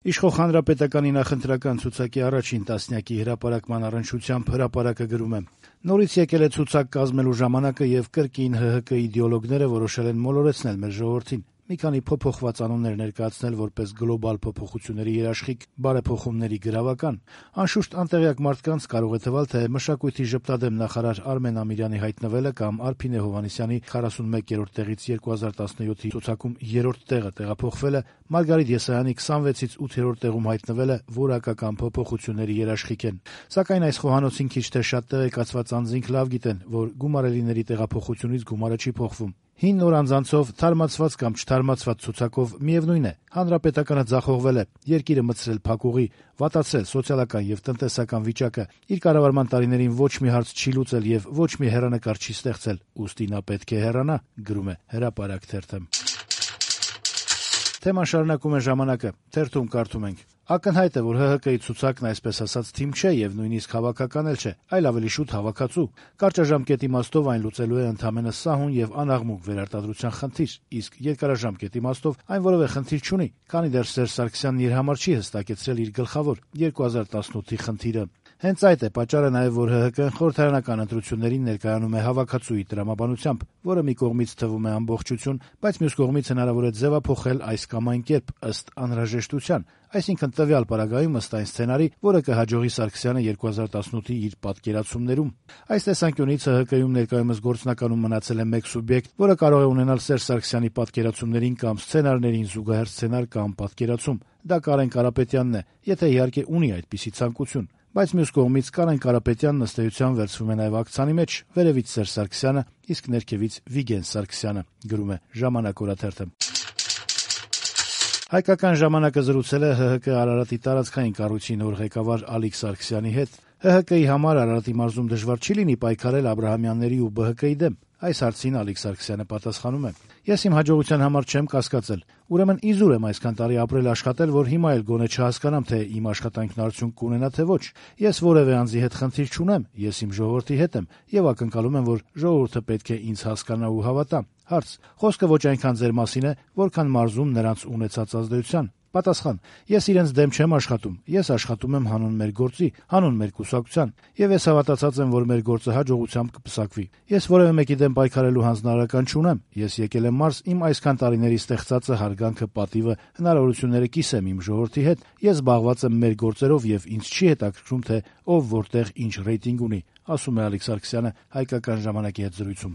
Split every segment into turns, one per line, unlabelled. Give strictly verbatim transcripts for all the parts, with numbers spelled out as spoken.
Իշխող Հանրապետականի նախընտրական ցուցակի առաջին տասնյակի հրապարակման առնչությամբ հրապարակը գրում է. «Նորից եկել է ցուցակ կազմելու ժամանակը եւ կրկին ՀՀԿ իդեոլոգները որոշել են մոլորեցնել մեր ժողովրդին, մի քանի փոփոխված անուններ ներկայացնել որպես գլոբալ փոփոխությունների երաշխիք, բարեփոխումների գրավական։ Անշուշտ անտեղյակ մարդկանց կարող է թվալ, թե մշակույթի ժպտադեմ նախարար Արմեն Ամիրյանի հայտնվելը կամ Արփինե Հովհաննիսյանի քառասունմեկերորդ տեղից երկու հազար տասնյոթի ցուցակում երրորդ տեղը տեղափոխվելը, Մարգարիտ Եսայանի քսանվեցից ութերորդ տեղում հայտնվելը որակական փոփոխությունների երաշխիք են։ Սակայն այս խոհանոցին քիչ թե շատ տեղեկացված անձինք լավ գիտեն, որ գումարելիների տեղափոխությունից գումարը չի փոխվում։ Հին նոր անձանցով, թարմացված կամ չթարմացված ցուցակով միևնույն է, հանրապետականը ձախողվել է, երկիրը մտցրել փակուղի, վատացրել սոցիալական եւ տնտեսական վիճակը, իր կառավարման տարիներին ոչ մի հարց չի լուծել եւ ոչ մի հեռանկար չի ստեղծել, ուստի նա պետք է հեռանա», գրում է Հրապարակ թերթը։ Թեման շարունակում է «Ժամանակը» թերթում կարդում ենք. «Ակնհայտ է, որ ՀՀԿ-ի ցուցակն այսպես ասած թիմ չէ եւ նույնիսկ հավաքական էլ չէ, այլ ավելի շուտ հավաքածու։ Կարճաժամկետ իմաստով այն լուծելու է ընդամենը սահուն եւ անաղմուկ վերարտադրության խնդիր, իսկ երկարաժամկետ իմաստով այն որեւէ խնդիր չունի, քանի դեռ Սերժ Սարգսյանն իր համար չի հստակեցրել իր գլխավոր երկու հազար տասնութի խնդիրը։ Հենց այդ է պատճառը նաեւ, որ ՀՀԿ-ն խորհրդարանական ընտրություններին ներկայանում է հավաքածուի տրամաբանությամբ, որը մի կողմից թվում է ամբողջություն, բայց մյուս կողմից հնարավոր է ձևափոխել այս կամ այն կերպ ըստ անհրաժեշտության, այսինքն տվյալ պարագայում ըստ այն սցենարի, որը կհաջողի Սարգսյանը երկու հազար տասնութի իր պատկերացումներում։ Այս տեսանկյունից ՀՀԿ-ում ներկայումս գործնականում մնացել է մեկ սուբյեկտ, որը կարող է ունենալ Սերժ Սարգսյանի պատկերացումներին կամ սցենարներին զուգահեռ սցենար կամ պատկերացում։ Դա Կարեն Կարապետյանն է, եթե իհարկե ունի այդպիսի ցանկություն։ Բայց մյուս կողմից Կարեն Կարապետյանն ըստ էության վերցվում է նաև ակցանի մեջ, վերևից Սերժ Սարգսյանը, իսկ ներքևից Վիգեն Սարգսյանը», գրում է «Ժամանակ» օրաթերթը։ Հայկական ժամանակը զրուցել է ՀՀԿ Արարատի տարածքային կառույցի նոր ղեկավար Ալիկ Սարգսյանի հետ։ ՀՀԿ-ի համար Արարատի մարզում դժվար չի լինի պայքարել Աբրահամյանների ու ԲՀԿ-ի դեմ։ Այս հարցին Ալիկ Սարգսյանը պատասխանում է. «Ես իմ հաջողության համար չեմ կասկածել։ Ուրեմն իզուր եմ այսքան տարի ապրել աշխատել, որ հիմա էլ գոնե չհասկանամ, թե իմ աշխատանքն արդյունք կունենա, թե ոչ։ Ես որևէ անձի հետ խնդիր չունեմ, ես իմ ժողովրդի հետ եմ եւ ակնկալում եմ, որ ժողովուրդը պետք է ինձ հասկանա ու հավատա»։ Հարց. «Խոսքը ոչ այնքան ձեր մասին է, որքան մարզում նրանց ունեցած ազդեցության»։ Պատասխան. «Ես իրենց դեմ չեմ աշխատում, ես աշխատում եմ հանուն մեր գործի, հանուն մեր կուսակցության, եւ ես հավատացած եմ, որ մեր գործը հաջողությամբ կպսակվի։ Ես որևէ մեկի դեմ պայքարելու հանձնարարական չունեմ, ես եկել եմ մարզ իմ այսքան տարիների ստեղծածը, հարգանքը, պատիվը, հնարավորությունները կիսեմ իմ ժողովրդի հետ, ես զբաղված եմ մեր գործերով եւ ինձ չի հետաքրքրում, թե ով որտեղ ինչ ռեյտինգ ունի», ասում է Ալիկ Սարգսյանը Հայկական ժամանակի հետ զրույցում։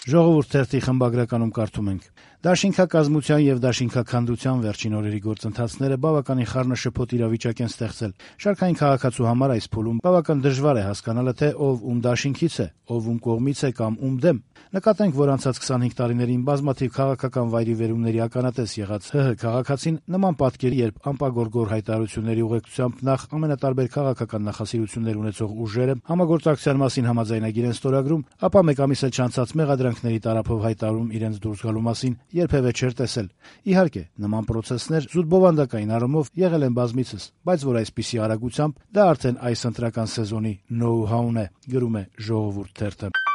Ժողովուրդ թերթի խմբագրականում կարդում ենք. «Դաշինքակազմության եւ դաշինքաքանդության վերջին օրերի գործընթացները բավականին խառնաշփոթ իրավիճակ են ստեղծել։ Շարքային քաղաքացու համար այս փուլում բավական դժվար է հասկանալը, թե ով ում դաշինքից է, ով ում կողմից է կամ ում դեմ։ Նկատենք, որ անցած քսանհինգ տարիներին բազմաթիվ քաղաքական վայրիվերումների ականատես եղած ՀՀ քաղաքացին նման պատկերի, երբ անպագորգոր հայտարարությունների ուղեկցությամբ նախ ամենատարբեր քաղաքական նախասիրություններ ունեցող ուժերը համագործակցության մասին համաձայնագիր են ստորագրում, ապա մեկ ամիս էլ չանցած մեղադրանքների տարափով հայտարարում իրենց դուրս գալու մասին երբևէ չէր տեսել։ Իհարկե, նման պրոցեսներ զուտ բովանդակային առումով եղել են բազմիցս, բայց որ այսպիսի արագությամբ դա արդեն այս ընտրական սեզոնի նոու-հաուն է», գրում է Ժողովուրդ թերթը։